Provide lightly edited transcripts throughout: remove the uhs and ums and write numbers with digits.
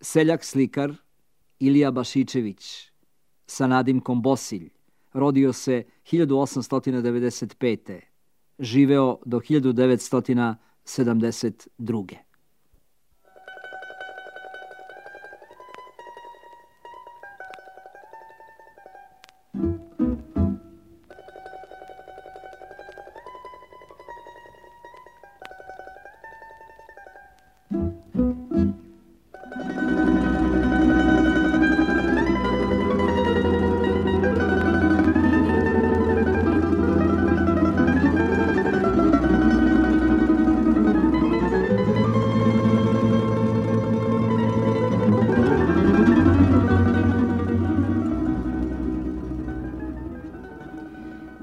Seljak slikar Ilija Bašičević sa nadimkom Bosilj rodio se 1895. Živeo do 1972.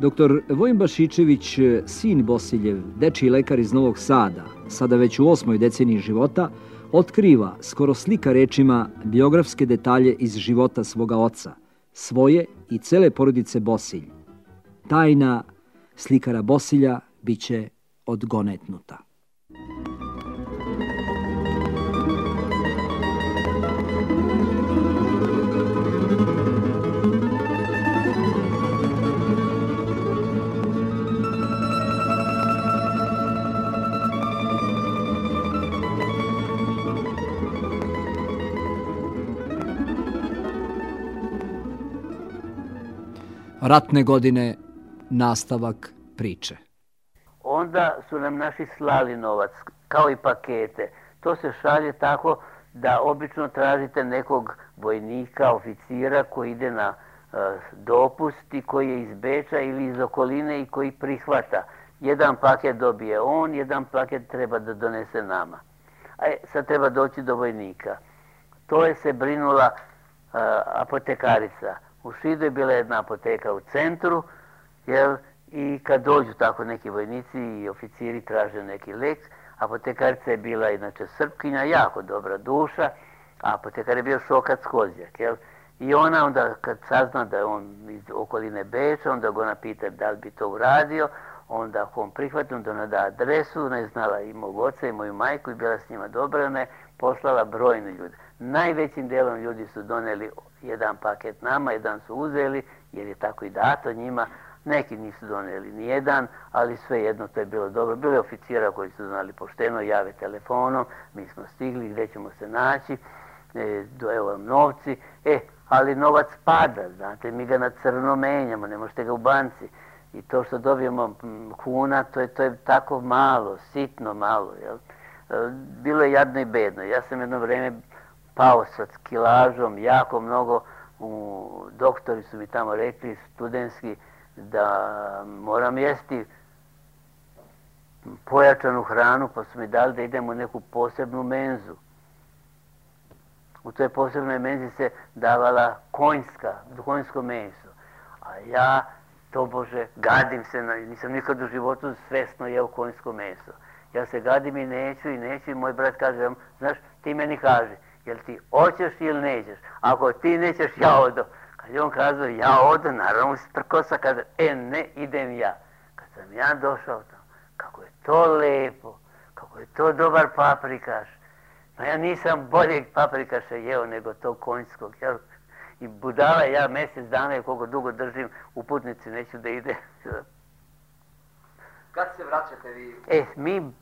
Dr. Vojin Bašičević, sin Bosiljev, dečiji lekar iz Novog Sada, sada već u 8. deceniji života, otkriva, skoro slika rečima, biografske detalje iz života svoga oca, svoje i cele porodice Bosilj. Tajna slikara Bosilja biće odgonetnuta. Ratne godine, nastavak priče. Onda su nam naši slali novac, kao i pakete. To se šalje tako da obično tražite nekog vojnika, oficira koji ide na dopust i koji je iz Beča ili iz okoline i koji prihvata. Jedan paket dobije on, jedan paket treba da donese nama. Sad treba doći do vojnika. To je se brinula apotekarica. U Šidu je bila jedna apoteka u centru, i kad dođu tako neki vojnici i oficiri traže neki lek, apotekarica je bila inače Srpkinja, jako dobra duša, a apotekar je bio Šokac Kozjak. I ona onda kad sazna da je on iz okoline Beča, onda ga ona pita da li bi to uradio, onda ako on prihvati, onda ona da adresu, ona je znala i mog oca i moju majku i bila s njima dobra, ona je poslala brojne ljude. Najvećim delom ljudi su doneli jedan paket nama, jedan su uzeli, jer je tako i dato njima. Neki nisu doneli ni jedan, ali svejedno to je bilo dobro. Bilo je oficira koji su znali pošteno, jave telefonom, mi smo stigli, gdje ćemo se naći, evo vam novci, ali novac pada, znate, mi ga na crno menjamo, ne možete ga u banci. I to što dobijemo kuna, to je tako malo, sitno malo, jel? Bilo je jadno i bedno. Ja sam jedno vreme pao sa kilažom, jako mnogo. Doktori su mi tamo rekli, studentski, da moram jesti pojačanu hranu, pa su mi dali da idem u neku posebnu menzu. U toj posebnoj menzi se davala konjsko meso. A ja, tobože, gadim se, nisam nikad u životu svesno jeo konjsko meso. Ja se gadim i neću i moj brat kaže, znaš, ti meni kaži, jel ti hoćeš ili nećeš? Ako ti nećeš, ja odo. Kad je on kazao, ja odo, naravno se prkosa, kaže, ne, idem ja. Kad sam ja došao tamo, kako je to lepo, kako je to dobar paprikaš. No ja nisam boljeg paprikaša jeo nego tog konjskog, jel? I budala ja mjesec dana i koliko dugo držim u putnici, neću da ide. Kad se vraćate vi? Mi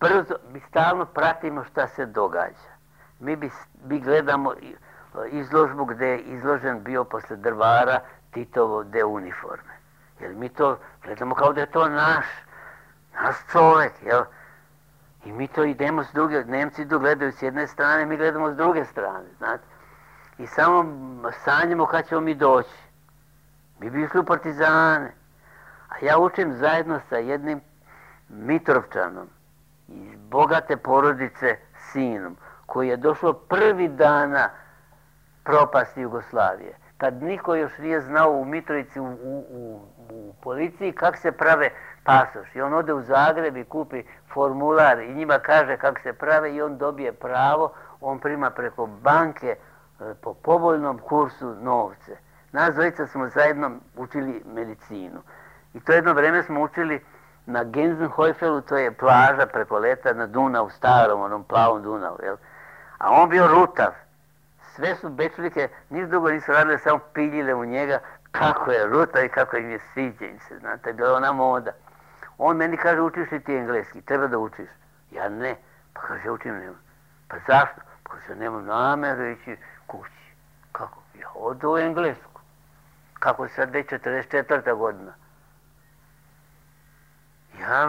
stalno pratimo šta se događa. Mi gledamo izložbu gdje je izložen bio posle Drvara Titovo de uniforme. Jer mi to gledamo kao da je to naš čovjek, jel? I mi to idemo s druge, Nemci gledaju s jedne strane, mi gledamo s druge strane, znate. I samo sanjamo kad ćemo mi doći. Mi bi išli u partizane. A ja učim zajedno sa jednim Mitrovčanom iz bogate porodice sinom, koji je došao prvi dana propasti Jugoslavije. Kad niko još nije znao u Mitrovici, u policiji, kako se prave pasoš. I on ode u Zagreb i kupi formular i njima kaže kako se prave i on dobije pravo, on prima preko banke po povoljnom kursu novce. Nas dvojica smo zajedno učili medicinu. I to jedno vreme smo učili na Genzenhojfelu, to je plaža preko leta na Dunavu, starom, onom plavom Dunavu, jel? A on bio rutav, sve su Bečlike, niš drugo nisu radile, samo piljile u njega kako je ruta i kako im je sviđa im se, znate, bila ona moda. On meni kaže, učiš li ti engleski? Treba da učiš. Ja ne. Pa kaže, učim nema. Pa zašto? Pa kaže, nemam nameru ići kući. Kako? Ja odu u englesku. Kako sad već 44. godina? Ja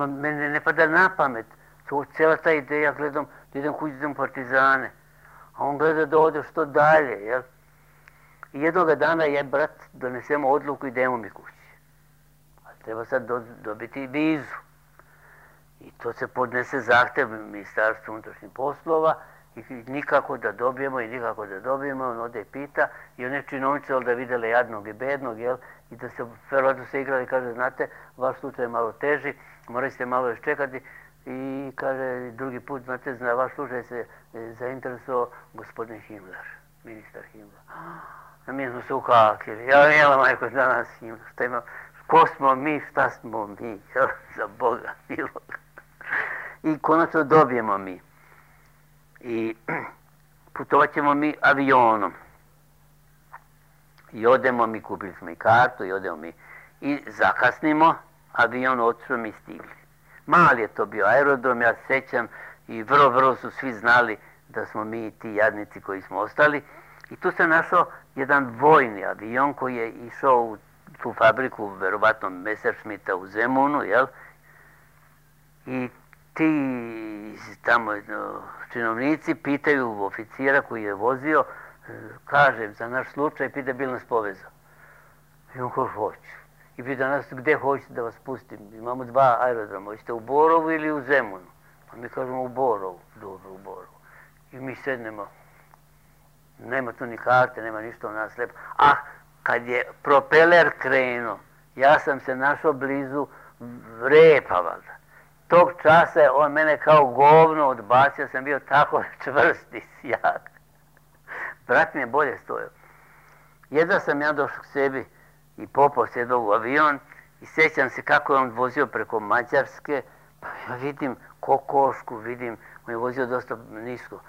mene ne pada na pamet. To cijela ta ideja, gledam, da idem kući, idem partizane. A on gleda da ode što dalje, jel? I jednoga dana je, brat, donesemo odluku i idemo mi kući. A treba sad dobiti vizu. I to se podnese zahtev Ministarstvu unutrašnjih poslova i nikako da dobijemo i nikako da dobijemo. On ode i pita i one činovnice da vidjele jadnog i bednog, jel? I da se verovatno se igrali i kaže, znate, vaš slučaj je malo teži, morali ste malo još čekati. I kaže, drugi put, znate, za vaš slučaj se zainteresovao gospodin Himmler, ministar Himmler. A mi smo se ukakili. Ja jela, majko, danas Himmler, šta ima, ko smo mi, šta smo mi, za Boga milog. I konačno dobijemo mi. I putovat ćemo mi avionom. I odemo mi, kupili smo i kartu, i odemo mi. I zakasnimo, avion otišao mi stigli. Mali je to bio aerodrom, ja sećam, i vrlo su svi znali da smo mi ti jadnici koji smo ostali. I tu se našao jedan vojni avion koji je išao u tu fabriku, verovatno Messerschmitta u Zemunu, jel? I ti tamo činovnici pitaju oficira koji je vozio, kaže, za naš slučaj, pita bil nas povezao. I on kaže, hoću. I pita nas, gde hoćete da vas pustim? Imamo 2 aerodroma, hoćete u Borovu ili u Zemunu? Pa mi kažemo u Borovu, dobro u Borovu. I mi sednemo, nema tu ni karte, nema ništa u nas lepo. Ah, kad je propeler krenuo, ja sam se našao blizu repa, valjda. Tog časa je on mene kao govno odbacio, sam bio tako čvrst i sjak. Brat mi je bolje stojao. Jedva sam ja došao k sebi i popao sjedao u avion i sjećam se kako je on vozio preko Mađarske, pa ja vidim kokošku, vidim, on je vozio dosta nisko.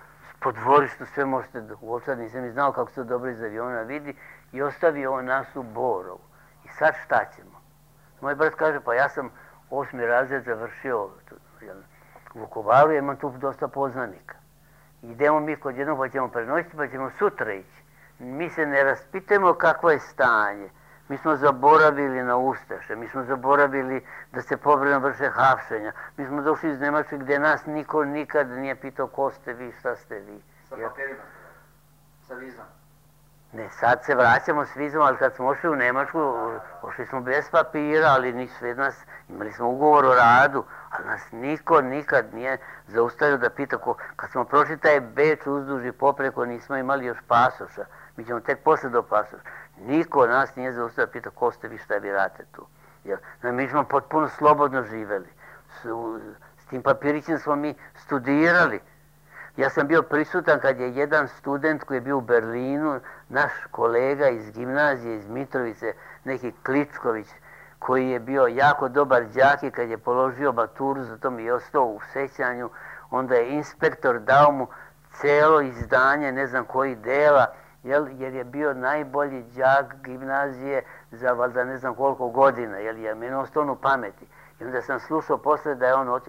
Po dvorištu sve možete uočati, nisam i znao kako se to dobro iz aviona vidi i ostavio on nas u Borovu. I sad šta ćemo? Moj brat kaže, pa ja sam 8. razred završio u Vukovaru, imam tu dosta poznanika. Idemo mi kod jednog, pa ćemo prenoćiti, pa ćemo sutra ići. Mi se ne raspitamo kakvo je stanje. Mi smo zaboravili na Ustaše, mi smo zaboravili da se povremeno vrše hapšenja. Mi smo došli iz Nemačke gdje nas niko nikad nije pitao ko ste vi, šta ste vi. Sa papirima, sa vizom. Ne, sad se vraćamo s vizom, ali kad smo ošli u Nemačku, ošli smo bez papira, ali nisu sve nas, imali smo ugovor o radu, ali nas niko nikad nije zaustavio da pita ko. Kad smo prošli taj Beč uzduž i popreko, nismo imali još pasoša, mi ćemo tek posle do pasoša. Niko nas nije zaustavio da pita ko ste vi, šta vi radite tu. Jer, mi smo potpuno slobodno živeli. S tim papirićem smo mi studirali. Ja sam bio prisutan kad je jedan student koji je bio u Berlinu, naš kolega iz gimnazije, iz Mitrovice, neki Kličković, koji je bio jako dobar đak i kad je položio maturu, zato mi je ostao u sećanju, onda je inspektor dao mu celo izdanje, ne znam koji dela, jer je bio najbolji đak gimnazije za valjda ne znam koliko godina, jer je meni ostao u pameti. I onda sam slušao posle da je on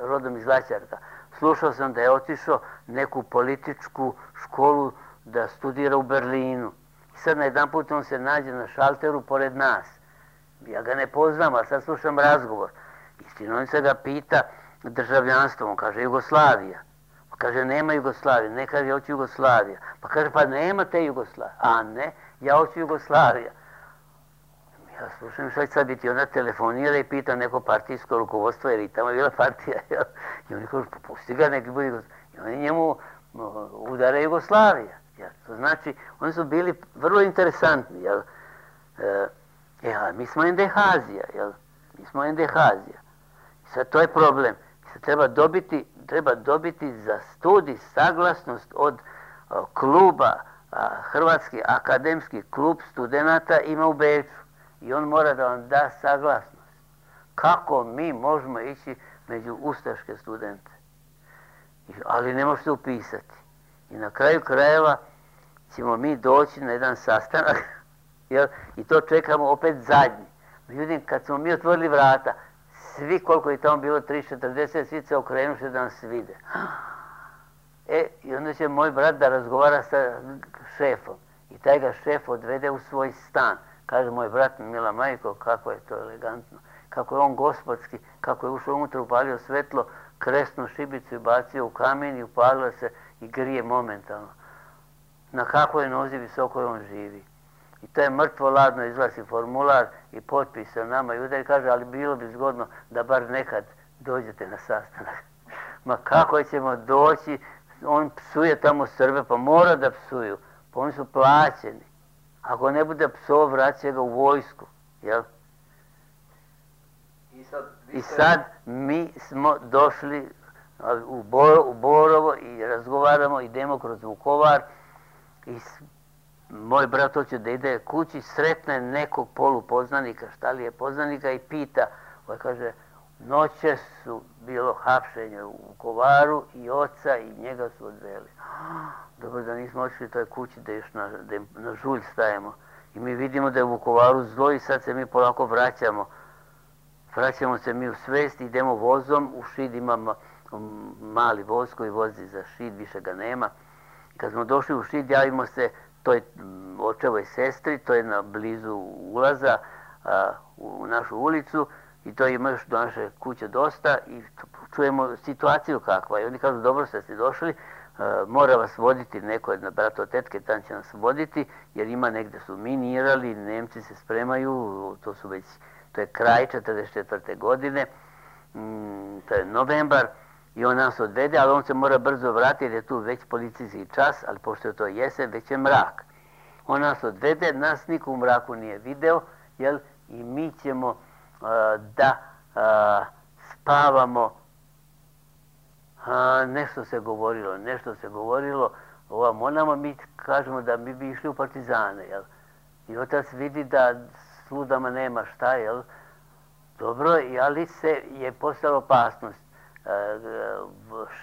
rodom iz Laćarka. Slušao sam da je otišao neku političku školu da studira u Berlinu. I sad na jedan put on se nađe na šalteru pored nas. Ja ga ne poznam, a sad slušam razgovor. I činovnica ga pita državljanstvo, on kaže Jugoslavija. Pa kaže nema Jugoslavije, ne kaže ja hoću Jugoslavija. Pa kaže pa nema te Jugoslavije. A ne, ja hoću Jugoslavija. Ja slušam šta će sad biti, ona telefonira i pita neko partijsko rukovodstvo, jer i tamo je bila partija, jel? I oni kažu, pusti ga, neki bude Jugoslavija. I oni njemu udara Jugoslavija. Jel? To znači, oni su bili vrlo interesantni, jel? Mi smo endehazija, jel? Mi smo endehazija. I sad to je problem. I sad treba dobiti za studij saglasnost od kluba, Hrvatski akademski klub studenata ima u Beču. I on mora da vam da saglasnost. Kako mi možemo ići među ustaške studente? Ali ne možete upisati. I na kraju krajeva ćemo mi doći na jedan sastanak i to čekamo opet zadnji. Međutim, kad smo mi otvorili vrata, svi koliko je tamo bilo 30-40, svi se okrenuše da nas vide. I onda će moj brat da razgovara sa šefom. I taj ga šef odvede u svoj stan. Kaže moj brat, mila majko, kako je to elegantno. Kako je on gospodski, kako je ušao unutra, upalio svetlo, kresnu šibicu i bacio u kamen i upalio se i grije momentalno. Na kakvoj nozi visoko on živi. I to je mrtvo ladno, izglasi formular i potpis sa nama i udari, kaže, ali bilo bi zgodno da bar nekad dođete na sastanak. Ma kako ćemo doći, on psuje tamo Srbe, pa mora da psuju, pa oni su plaćeni. Ako ne bude psov, vraća ga u vojsku, jel? I sad mi smo došli u Borovo i razgovaramo, idemo kroz Vukovar i moj brat hoće da ide kući, sretne nekog polupoznanika, šta li je poznanika i pita, kaže, noće su bilo hapšenje u Vukovaru i oca i njega su odveli. Dobro da nismo otišli toj kući da još na žulj stajemo. I mi vidimo da je u Vukovaru zlo i sad se mi polako vraćamo. Vraćamo se mi u svest, idemo vozom, u Šid imamo mali voz koji vozi za Šid, više ga nema. I kad smo došli u Šid, javimo se toj očevoj sestri, to je na blizu ulaza u našu ulicu i to ima još do naše kuće dosta i čujemo situaciju kakva. I oni kažu, dobro ste si došli, mora vas voditi neko od brato tetke, tam će nas voditi, jer ima negde su minirali, Nemci se spremaju, to je kraj 44. godine, to je novembar, i on nas odvede, ali on se mora brzo vratiti jer je tu već policijski čas, ali pošto je to jesen, već je mrak. On nas odvede, nas niko u mraku nije video, jel, i mi ćemo da spavamo. Nešto se govorilo, ovamo onamo, mi kažemo da mi bi išli u partizane, jel. I otac vidi da s ludama nema šta, jel. Dobro, ali se je postala opasnost.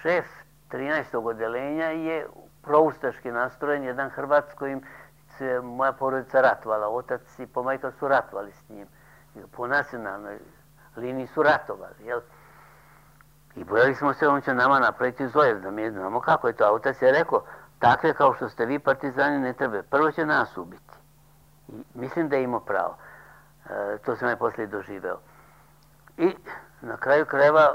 Šef 13. odeljenja je proustaški nastrojen, jedan Hrvat s kojim se moja porodica ratovala. Otac i pomajka su ratovali s njim. Po nacionalnoj liniji su ratovali, jel? I bojali smo se, on će nama napraviti zlojev, da mi znamo kako je to. A otac je rekao, takve kao što ste vi partizani ne treba, prvo će nas ubiti. I mislim da je imao pravo. To sam ja poslije doživeo. I na kraju krajeva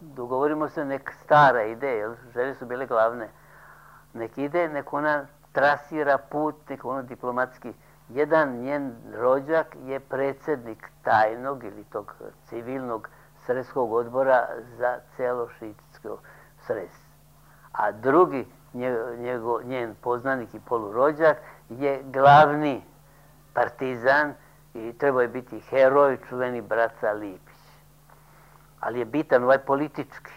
dogovorimo se, nek stara ide, jer želje su bile glavne. Nek ide, nek ona trasira put, nek ono diplomatski. Jedan njen rođak je predsjednik tajnog ili tog civilnog sredskog odbora za celo šitsko sres. A drugi njen poznanik i polurođak je glavni partizan i trebao je biti heroj, čuveni Braca Lipić. Ali je bitan ovaj politički.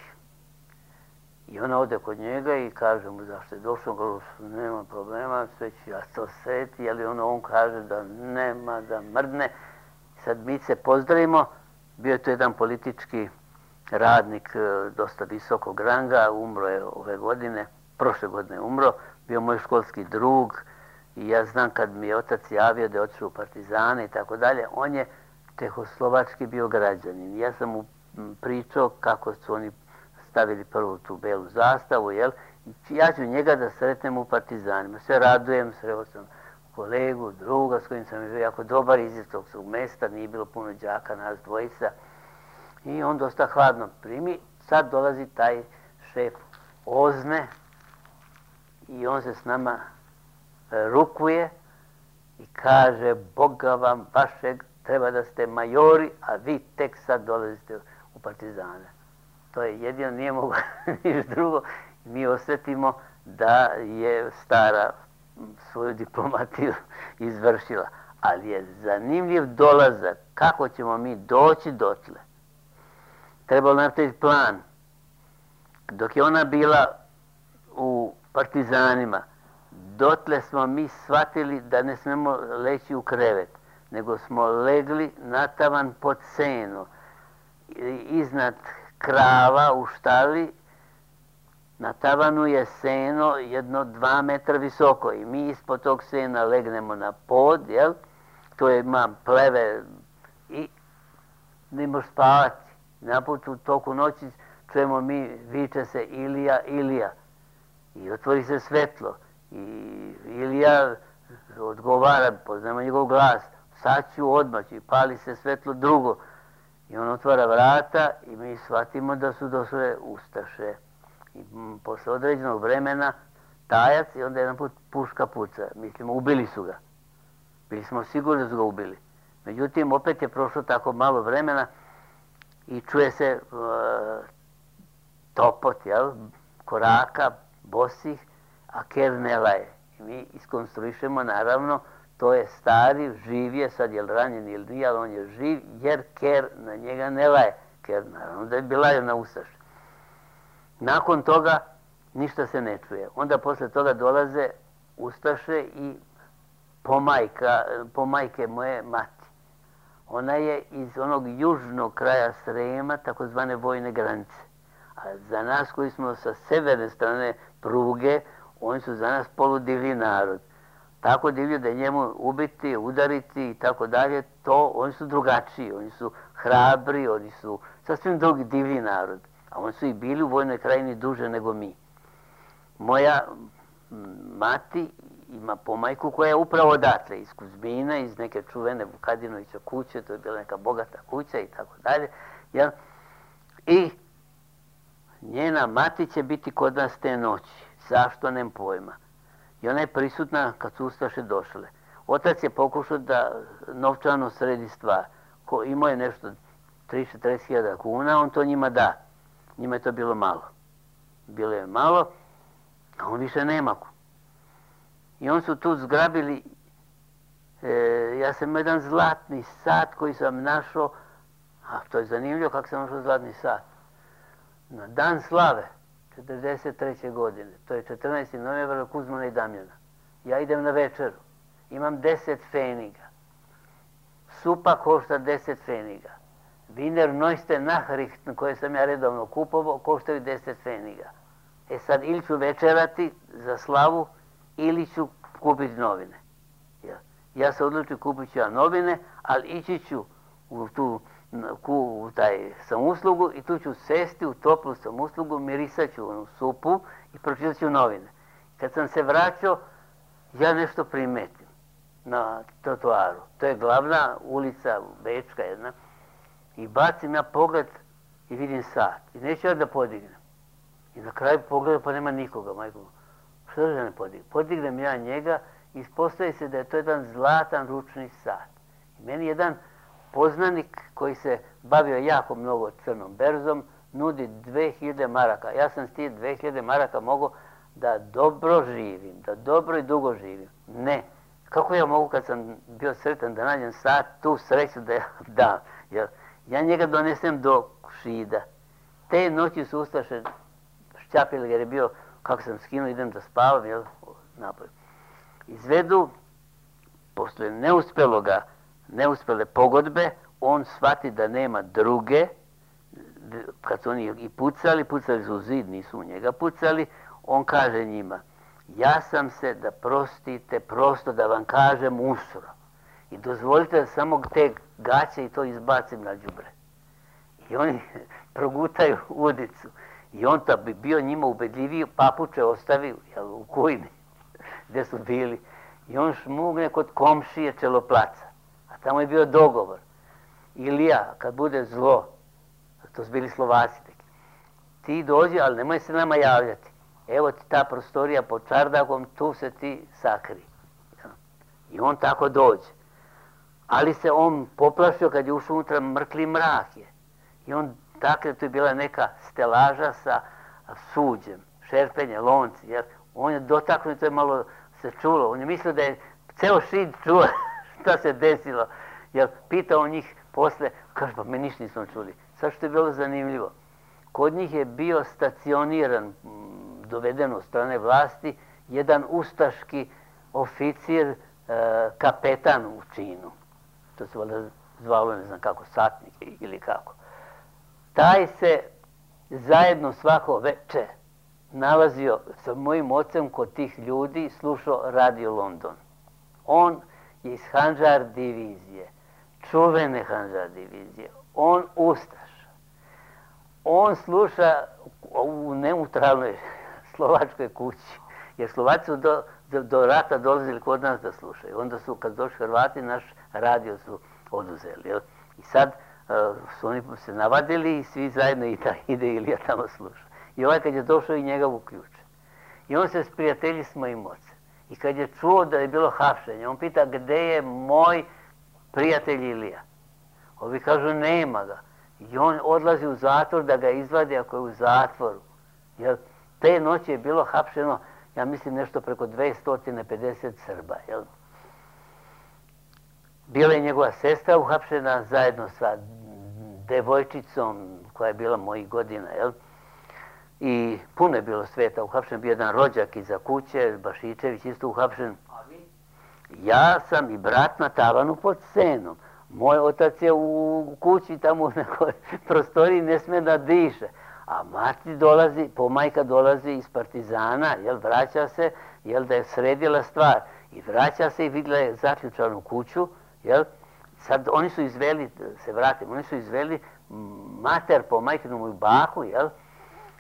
I ona ode kod njega i kaže mu zašto je došao, kaže, nema problema, sve ću ja to sreti, ali on kaže da nema, da mrdne. Sad mi se pozdravimo, bio je to jedan politički radnik dosta visokog ranga, umro je ove godine, prošle godine umro, bio moj školski drug i ja znam kad mi je otac javio da je otišao u partizane i tako dalje, on je čehoslovački bio građanin. Ja sam mu pričao kako su oni stavili prvu tu belu zastavu, jel? Ja ću njega da sretnem u partizanima. Sve radujem, sreo sam kolegu, druga s kojim sam bio jako dobar iz istog svog mesta, nije bilo puno đaka, nas dvojica. I on dosta hladno primi. Sad dolazi taj šef Ozne i on se s nama rukuje i kaže, Boga vam vašeg, treba da ste majori, a vi tek sad dolazite u partizane. To je jedino, nije mogo niš drugo. Mi osjetimo da je stara svoju diplomatiju izvršila. Ali je zanimljiv dolazak, kako ćemo mi doći dotle. Trebalo napraviti plan. Dok je ona bila u partizanima, dotle smo mi shvatili da ne smemo leći u krevet, nego smo legli na tavan pod senu, iznad krava u štali, Na tavanu je seno jedno 2 metra visoko i mi ispod tog sena legnemo na pod, jel? To ima pleve i ne možeš spavati. Naput u toku noći čujemo mi, viče se Ilija, Ilija. I otvori se svetlo. I Ilija odgovara, poznamo njegov glas, sad ću odmah, i pali se svetlo drugo. I on otvara vrata i mi shvatimo da su došle ustaše. I posle određenog vremena tajac i onda jedan put puška puca. Mislimo, ubili su ga. Bili smo sigurni da su ga ubili. Međutim, opet je prošlo tako malo vremena i čuje se topot, jel, koraka, bosih, a ker ne laje. I mi iskonstruišemo, naravno, to je stari, živ je, sad je li ranjen ili nije, ali on je živ, jer ker na njega ne laje. Ker, naravno, da je bi lajao na ustaše. Nakon toga ništa se ne čuje. Onda posle toga dolaze ustaše i pomajke moje mati. Ona je iz onog južnog kraja Srema, takozvane vojne granice. A za nas koji smo sa severne strane pruge, oni su za nas poludivlji narod. Tako divlji da njemu ubiti, udariti i tako dalje, to oni su drugačiji, oni su hrabri, oni su sasvim drugi divlji narod. A oni su i bili u vojnoj krajini duže nego mi. Moja mati ima pomajku koja je upravo odatle, iz Kuzmina, iz neke čuvene Vukadinovića kuće, to je bila neka bogata kuća i tako dalje. I njena mati će biti kod nas te noći. Zašto, nem pojma. I ona je prisutna kad su ustaše došle. Otac je pokušao da novčano sredi stvar. Imao je nešto 30-40 kuna, on to njima da. Njima je to bilo malo. Bilo je malo, a on više nema. I on su tu zgrabili, ja sam imao jedan zlatni sat koji sam našao, a to je zanimljivo kako sam našao zlatni sat. Na dan slave, 1943. godine, to je 14. novembra Kuzmana i Damjana. Ja idem na večeru, imam 10 pfeniga. Supa košta 10 pfeniga. Wiener Neueste Nachrichten koje sam ja redovno kupovao koštaju 10 pfeniga. E sad ili ću večerati za slavu ili ću kupiti novine. Ja se odlučim, kupit ću ja novine, ali ići ću u taj samouslugu i tu ću sesti u toplu samouslugu, mirisat ću onu supu i pročitat ću novine. Kad sam se vraćao, ja nešto primetim na trotoaru. To je glavna ulica, Bečka jedna. I bacim ja pogled i vidim sat. I neću ja da podignem. I na kraju pogledam pa nema nikoga, majko. Što da ne podignem? Podignem ja njega i ispostavi se da je to jedan zlatan ručni sat. I meni jedan poznanik koji se bavio jako mnogo crnom berzom nudi 2000 maraka. Ja sam s tih 2000 maraka mogao da dobro živim, da dobro i dugo živim. Ne. Kako ja mogu kad sam bio sretan da nađem sat, tu sreću da ja dam? Ja njega donesem do Šida. Te noći su ustaše šćapili jer je bio, kako sam skinuo, idem da spavam, napolje. Izvedu, posle neuspele pogodbe, on shvati da nema druge, kad su oni i pucali su u zid, nisu u njega pucali, on kaže njima, ja sam se, da prostite, prosto da vam kažem, usro. I dozvolite da samo te gaće i to izbacim na đubre. I oni progutaju udicu. I on da bi bio njima ubedljiviji, papuče ostavio u kujni gde su bili. I on šmugne kod komšije Čeloplaca. A tamo je bio dogovor. Ilija, kad bude zlo, to su bili Slovaci, ti dođi, ali nemoj se nama javljati. Evo ti ta prostorija pod čardakom, tu se ti sakri. I on tako dođe. Ali se on poplašio kad je ušao unutra, mrkli mrak je. I on, dakle, tu je bila neka stelaža sa suđem, šerpenje, lonci, jer on je dotaknut, to je malo se čulo. On je mislio da je ceo Šid čuo šta se desilo. Jer pitao njih posle, kaže, pa me ništa nismo čuli. Sad što je bilo zanimljivo, kod njih je bio stacioniran, doveden od strane vlasti, jedan ustaški oficir, kapetan u činu. To se valjda zvalo, ne znam kako, satnik ili kako. Taj se zajedno svako veče nalazio sa mojim ocem kod tih ljudi, slušao Radio London. On je iz Handžar divizije, čuvene Handžar divizije. On ustaša. On sluša u neutralnoj slovačkoj kući. Jer Slovaci su do rata dolazili kod nas da slušaju. Onda su, kad došli Hrvati, naš radio su oduzeli. Jel? I sad su oni se navadili i svi zajedno ide Ilija tamo sluša. I ovaj kad je došao i njega uključe. I on se sprijatelji s mojim ocem. I kad je čuo da je bilo hapšenje, on pita gde je moj prijatelj Ilija. Ovi kažu nema ga. I on odlazi u zatvor da ga izvadi ako je u zatvoru. Jer te noći je bilo hapšeno, ja mislim, nešto preko 250 Srba. Jel? Bila je njegova sestra uhapšena zajedno sa devojčicom koja je bila mojih godina. Jel? I puno je bilo sveta uhapšen. Bio jedan rođak iza kuće, Bašičević isto uhapšen. A vi? Ja sam i brat na tavanu pod senom. Moj otac je u kući tamo u nekoj prostoriji, ne sme da diše. A mati dolazi, pomajka dolazi iz Partizana, jel, vraća se, jel, da je sredila stvar. I vraća se i vidjela je zaključanu kuću, jel. Sad oni su izveli, se vratim, oni su izveli mater pomajkinu moju baku, jel,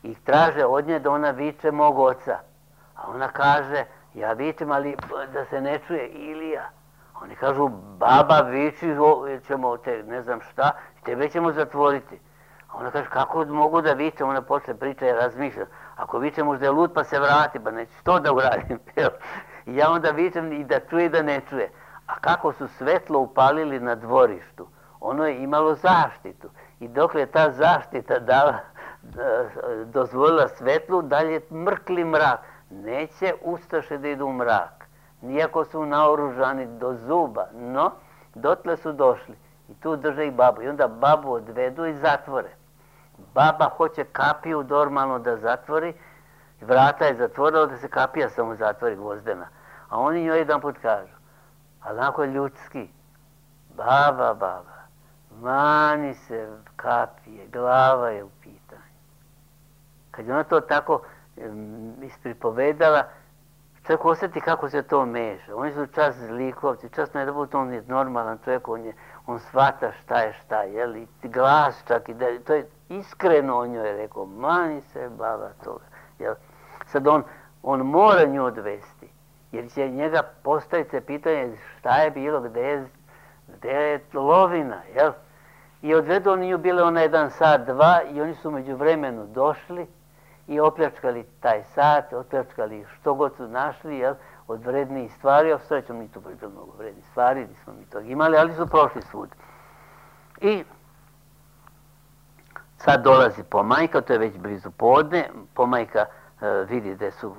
i traže od nje da ona viče mog oca. A ona kaže, ja vičem, ali da se ne čuje Ilija. Oni kažu, baba viči, ćemo te, ne znam šta, tebe ćemo zatvoriti. A ona kaže, kako mogu da vičem? Ona počne priča i razmišlja. Ako vičem, možda je lud pa se vrati, pa neću to da uradim. I ja onda vičem i da čuje i da ne čuje. A kako su svetlo upalili na dvorištu, ono je imalo zaštitu. I dok je ta zaštita dozvolila svetlu, dalje mrkli mrak. Neće ustaše da idu u mrak. Nijako su naoružani do zuba, no dotle su došli. I tu drže i babu. I onda babu odvedu i zatvore. Baba hoće kapiju normalno da zatvori. Vrata je zatvorila da se kapija samo zatvori gvozdena. A oni njoj jedan put kažu, ali onako ljudski, baba, mani se kapije, glava je u pitanju. Kad je ona to tako ispripovedala, čovjek osjeti kako se to meša. Oni su čas zlikovci, čas ne da bude on je normalan čovjek, on shvata šta je šta, jel, i glas čak, i to je iskreno o njoj rekao, mani se baba toga, jel. Sad on mora nju odvesti, jer će njega postaviti se pitanje šta je bilo, gde je lovina, jel. I odvedu oni nju, bile ona 1 sat, 2, i oni su među vremenu došli i opljačkali taj sat, opljačkali što god su našli, jel, od vrednijih stvari, a srećom ni to bilo mnogo vrednijih stvari, nismo mi tog imali, ali su prošli svud. I sad dolazi pomajka, to je već blizu podne, pomajka vidi da su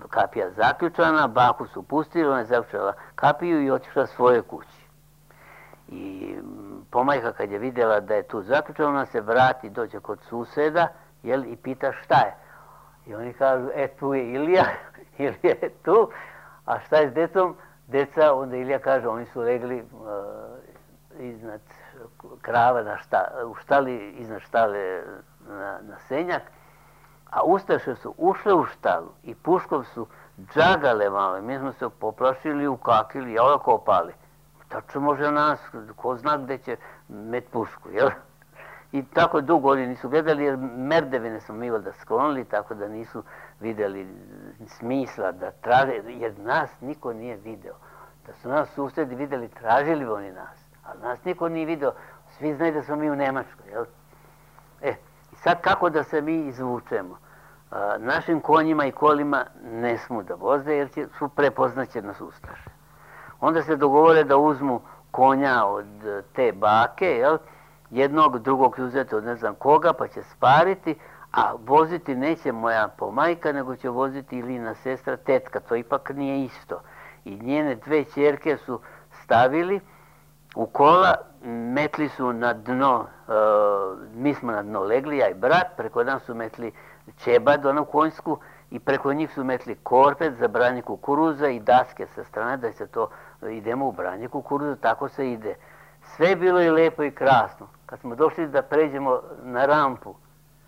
kapija zaključana, baku su pustili, ona je zaključala kapiju i otišla svojoj kući. I pomajka kad je vidjela da je tu zaključana, ona se vrati, dođe kod suseda, jel, i pita šta je. I oni kažu, tu je Ilija, Ilija je tu, a šta je s decom? Deca, onda Ilija kaže, oni su legli iznad krava u štali, iznad štale na senjak, a ustaše su ušle u štalu i puškom su džagale malo. Mi smo se poplašili, ukakili, ja ovako opali. Tačno može nas, ko zna gde će met pušku, jel? I tako dugo oni nisu gledali, jer merdevine smo mi da sklonili, tako da nisu vidjeli smisla da traže, jer nas niko nije video. Da su nas susedi vidjeli, tražili bi oni nas, ali nas niko nije video, svi znaju da smo mi u Nemačkoj, jel? I sad kako da se mi izvučemo? Našim konjima i kolima ne smu da voze, jer su prepoznaće nas ustaše. Onda se dogovore da uzmu konja od te bake, jel? Jednog, drugog uzeti od ne znam koga, pa će spariti, a voziti neće moja pomajka, nego će voziti Ilina sestra, tetka, to ipak nije isto. I njene 2 ćerke su stavili u kola, metli su na dno, mi smo na dno legli, ja i brat, preko nas su metli čebad, onu konjsku, i preko njih su metli korpet za branje kukuruza i daske sa strane, da se to, idemo u branje kukuruza, tako se ide. Sve je bilo i lepo i krasno. Kad smo došli da pređemo na rampu,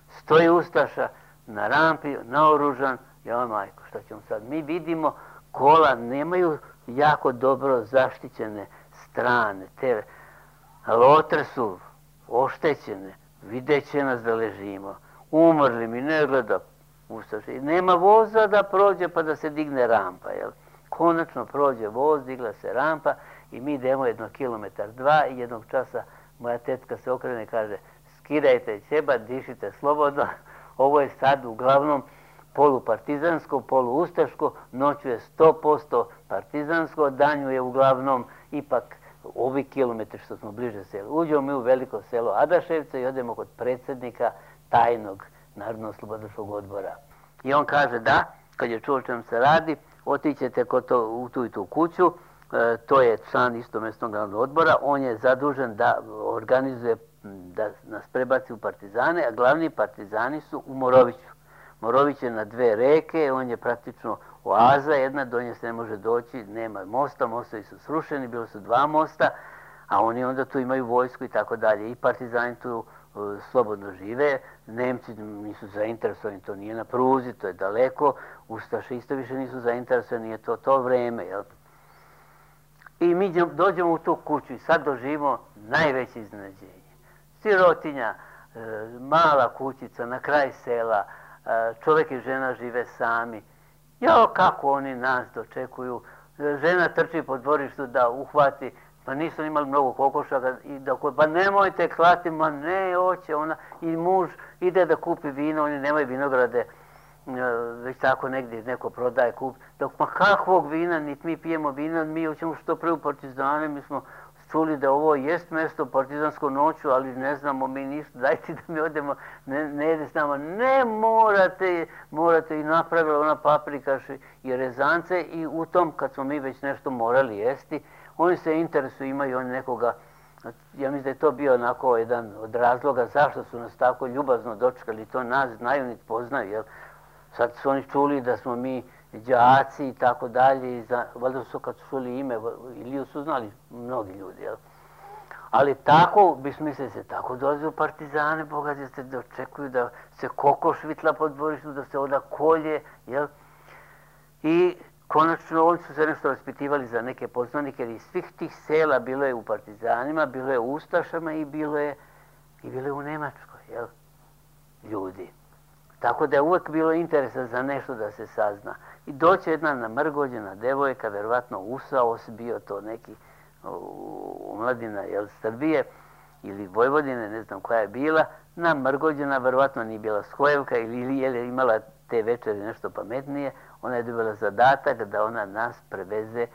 stoji ustaša, na rampi, naoružan, ja majko, šta ćemo sad? Mi vidimo kola nemaju jako dobro zaštićene strane, te lotre su oštećene, vidjet će nas da ležimo, umrli mi, ne gleda ustaši, nema voza da prođe pa da se digne rampa, jel? Konačno prođe voz, digla se rampa i mi idemo 1 kilometar, 2 i jednog časa moja tetka se okrene i kaže skidajte ćeba, dišite slobodno, ovo je sad uglavnom polupartizansko, poluustaško, noću je 100% partizansko, danju je uglavnom ipak ovi kilometri što smo bliže selu. Uđemo mi u veliko selo Adaševce i odemo kod predsjednika tajnog Narodno-oslobodilačkog odbora. I on kaže da, kad je čuo o čem se radi, otićete u tu i tu kuću, to je član isto mjesnog narodnog odbora, on je zadužen da organizuje, da nas prebaci u partizane, a glavni partizani su u Moroviću. Morović je na 2 reke, on je praktično oaza jedna, do nje se ne može doći, nema mosta, mostovi su srušeni, bilo su 2 mosta, a oni onda tu imaju vojsku i tako dalje. I partizani tu slobodno žive, Nemci nisu zainteresovani, to nije na pruzi, to je daleko, ustaše isto više nisu zainteresovani, nije to vreme, jel? I mi dođemo u tu kuću i sad doživimo najveće iznenađenje. Sirotinja, mala kućica na kraj sela, čovjek i žena žive sami. Jao, kako oni nas dočekuju. Žena trči po dvorištu da uhvati, pa nisu imali mnogo kokošaka, pa nemojte klati, ma ne, hoće ona. I muž ide da kupi vino, oni nemaju vinograde, već tako negdje neko prodaje, kupi. Dok, ma kakvog vina, niti mi pijemo vina, mi hoćemo što pre u partizane, mi smo čuli da ovo jest mjesto partizansko noću, ali ne znamo mi ništa, dajte da mi odemo, ne jede s nama. Ne, morate i napravila ona paprikaš i rezance i u tom, kad smo mi već nešto morali jesti, oni se interesuju, imaju oni nekoga, ja mislim da je to bio onako jedan od razloga zašto su nas tako ljubazno dočekali, to nas znaju niti poznaju, jel? Sad su oni čuli da smo mi đaci i tako dalje, valjda su kad su čuli ime, Iliju su znali mnogi ljudi, jel? Ali tako, bismisli se, tako dolaze u partizane, Boga se dočekuju da se kokoš vitla po dvorištu, da se oda kolje, jel? I konačno oni su se nešto raspitivali za neke poznanike, jer iz svih tih sela bilo je u partizanima, bilo je u ustašama i bilo je u Nemačkoj, jel? Ljudi. Tako da je uvijek bilo interesa za nešto da se sazna. I doće jedna namrgođena devojka, verovatno Usaos, bio to neki omladina Srbije ili Vojvodine, ne znam koja je bila, namrgođena, verovatno nije bila Skojevka ili je imala te večeri nešto pametnije, ona je dobila zadatak da ona nas preveze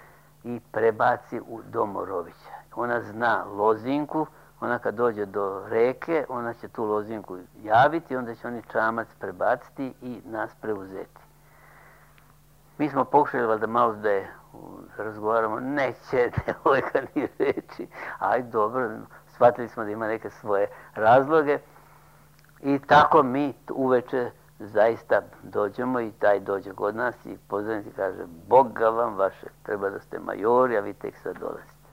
i prebaci u dom Morovića. Ona zna lozinku, ona kad dođe do reke, ona će tu lozinku javiti, onda će oni čamac prebaciti i nas preuzeti. Mi smo pokušali da malo da je razgovaramo, neće devojka ni reći, aj dobro, shvatili smo da ima neke svoje razloge i tako mi uveče zaista dođemo i taj dođe kod nas i pozornik kaže, Boga vam vaše, treba da ste majori, a vi tek sad dolazite.